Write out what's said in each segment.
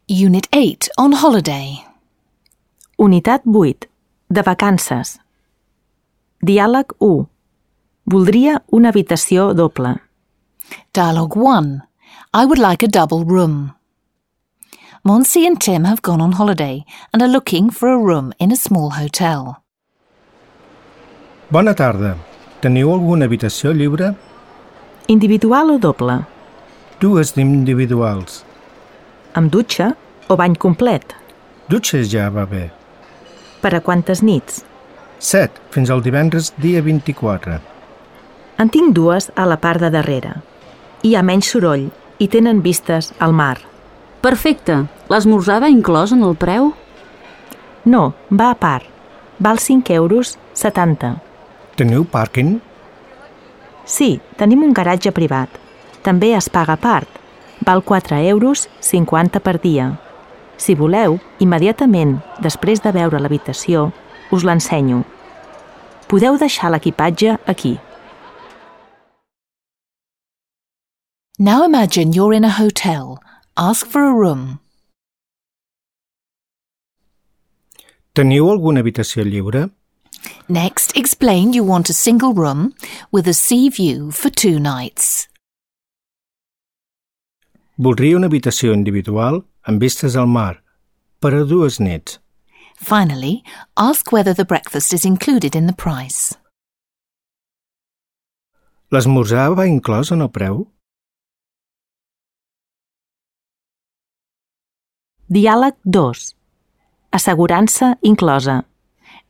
Unit 8, on holiday. Unitat 8, de vacances. Diàleg 1. Voldria una habitació doble. Dialogue 1. I would like a double room. Monsi and Tim have gone on holiday and are looking for a room in a small hotel. Bona tarda. Teniu alguna habitació lliure? Individual o doble? Dues d'individuals. Amb dutxa o bany complet? Dutxa ja va bé. Per a quantes nits? 7, fins al divendres dia 24. En tinc dues a la part de darrere. Hi ha menys soroll i tenen vistes al mar. Perfecte. L'esmorzar va inclòs en el preu? No, va a part. Val 5,70 €. Teniu pàrquing? Sí, tenim un garatge privat. També es paga a part. Val 4,50 € per dia. Si voleu, immediatament, després de veure l'habitació, us l'ensenyo. Podeu deixar l'equipatge aquí. Now imagine you're in a hotel. Ask for a room. Teniu alguna habitació lliure? Next, explain you want a single room with a sea view for 2 nights. Voldria una habitació individual amb vistes al mar, per a 2 nits. Finally, ask whether the breakfast is included in the price. L'esmorzar va inclòs en el preu? Diàleg 2. Assegurança inclosa.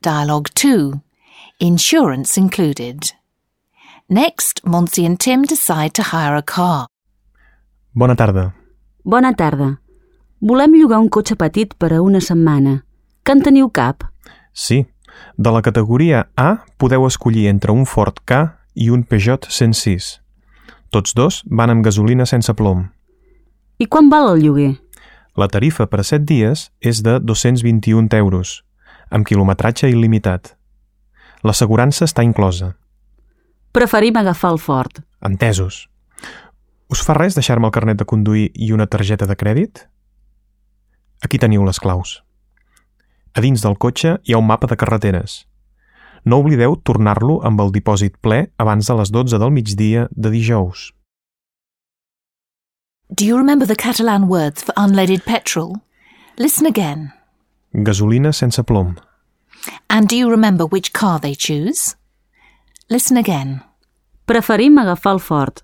Dialogue 2. Insurance included. Next, Monsi and Tim decide to hire a car. Bona tarda. Bona tarda. Volem llogar un cotxe petit per a una setmana. Que en teniu cap? Sí, de la categoria A podeu escollir entre un Ford Ka i un Peugeot 106. Tots dos van amb gasolina sense plom. I quan val el lloguer? La tarifa per a 7 dies és de 221 €, amb quilometratge il·limitat. L'assegurança està inclosa. Preferim agafar el Ford. Entesos. Us fa res deixar-me el carnet de conduir i una targeta de crèdit? Aquí teniu les claus. A dins del cotxe hi ha un mapa de carreteres. No oblideu tornar-lo amb el dipòsit ple abans de les 12 del migdia de dijous. Do you remember the Catalan words for unleaded petrol? Listen again. Gasolina sense plom. And do you remember which car they choose? Listen again. Preferim agafar el Ford.